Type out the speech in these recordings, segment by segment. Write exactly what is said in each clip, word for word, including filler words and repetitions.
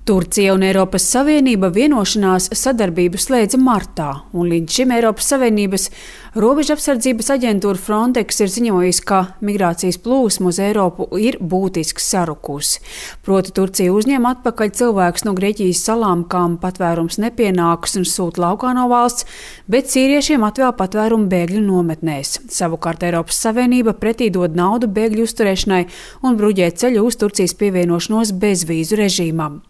Turcija un Eiropas Savienība vienošanās sadarbību slēdza martā, un līdz šim Eiropas Savienības robežapsardzības aģentūra Frontex ir ziņojusi, ka migrācijas plūsma uz Eiropu ir būtiski sarukusi. Proti Turcija uzņem atpakaļ cilvēkus no Grieķijas salām, kam patvērums nepienākas un sūta laukā no valsts, bet sīriešiem atvēl patvērumu bēgļu nometnēs. Savukārt Eiropas Savienība pretī dod naudu bēgļu uzturēšanai un bruģē ceļu uz Turcijas pievienošanos bezvīzu režīmam.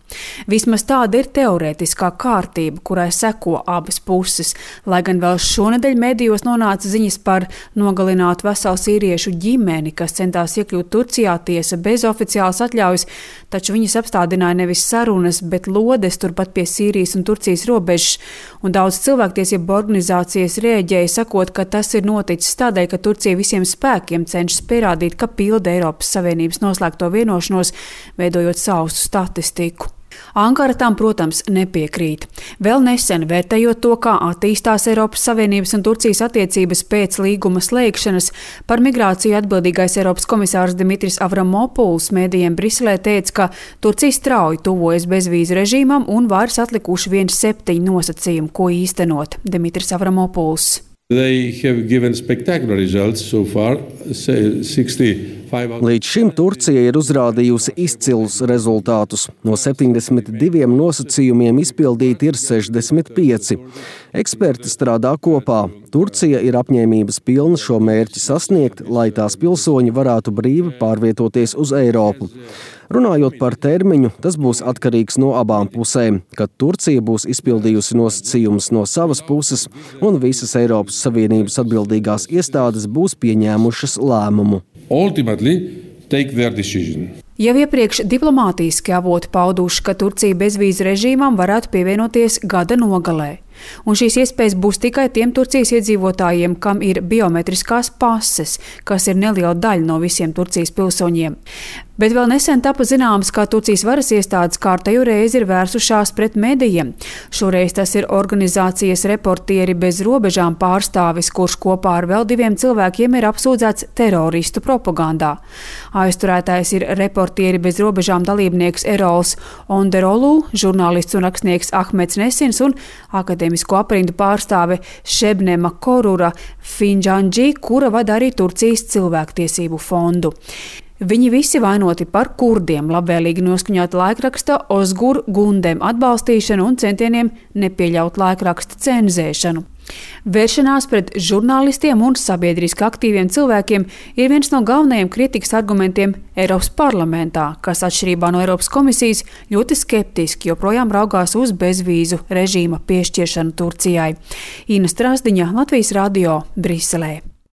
Vismaz tāda ir teorētiskā kārtība, kurai seko abas puses, lai gan vēl šonedēļ medijos nonāca ziņas par nogalinātu veselu sīriešu ģimeni, kas centās iekļūt Turcijā, tiesa bez oficiālas atļaujas, taču viņus apstādināja nevis sarunas, bet lodes turpat pie Sīrijas un Turcijas robežas, un daudz cilvēktiesību organizācijas rēģēja, sakot, ka tas ir noticis tādēļ, ka Turcija visiem spēkiem cenšas pierādīt, ka pilda Eiropas Savienības noslēgto vienošanos, veidojot sausu statistiku. Ankara tam, protams, nepiekrīt. Vēl nesen, vērtējot to, kā attīstās Eiropas Savienības un Turcijas attiecības pēc līguma slēgšanas, par migrāciju atbildīgais Eiropas komisārs Dimitris Avramopuls mēdījiem Briselē teica, ka Turcija strauji tuvojas bezvīzu režīmam un vairs atlikuši vien septiņi nosacījumi, ko īstenot. Dimitris Avramopuls. They have given spectacular results so far. Līdz šim Turcija ir uzrādījusi izcilus rezultātus. No septiņdesmit diviem nosacījumiem izpildīti ir sešdesmit pieci. Eksperti strādā kopā. Turcija ir apņēmības pilna šo mērķi sasniegt, lai tās pilsoņi varētu brīvi pārvietoties uz Eiropu. Runājot par termiņu, tas būs atkarīgs no abām pusēm, kad Turcija būs izpildījusi nosacījumus no savas puses un visas Eiropas Savienības atbildīgās iestādes būs pieņēmušas lēmumu. Ultimately, take their decision. Jau iepriekš diplomātiski avoti pauduši, ka Turcija bezvīzu režīmam varētu pievienoties gada nogalē. Un šīs iespējas būs tikai tiem Turcijas iedzīvotājiem, kam ir biometriskās pases, kas ir neliela daļa no visiem Turcijas pilsoņiem. Bet vēl nesen tapa zināms, ka Turcijas varas iestādes kārtējo reizi ir vērsušās pret medijiem. Šoreiz tas ir organizācijas Reportieri bez robežām pārstāvis, kurš kopā ar vēl diviem cilvēkiem ir apsūdzēts teroristu propagandā. Aizturētais ir Reportieri bez robežām dalībnieks Erols Onderolu, žurnālists un rakstnieks Ahmeds Nesins un akadēmisko aprindu pārstāve Šebnema Korura Finjandži, kura vada arī Turcijas cilvēktiesību fondu. Viņi visi vainoti par kurdiem, labvēlīgi noskaņota laikraksta Ozgur Gundem atbalstīšanu un centieniem nepieļaut laikraksta cenzēšanu. Vēršanās pret žurnālistiem un sabiedriski aktīviem cilvēkiem ir viens no galvenajiem kritikas argumentiem Eiropas parlamentā, kas atšķirībā no Eiropas komisijas ļoti skeptiski joprojām raugās uz bezvīzu režīma piešķiršanu Turcijai. Ina Strasdiņa, Latvijas radio, Briselē.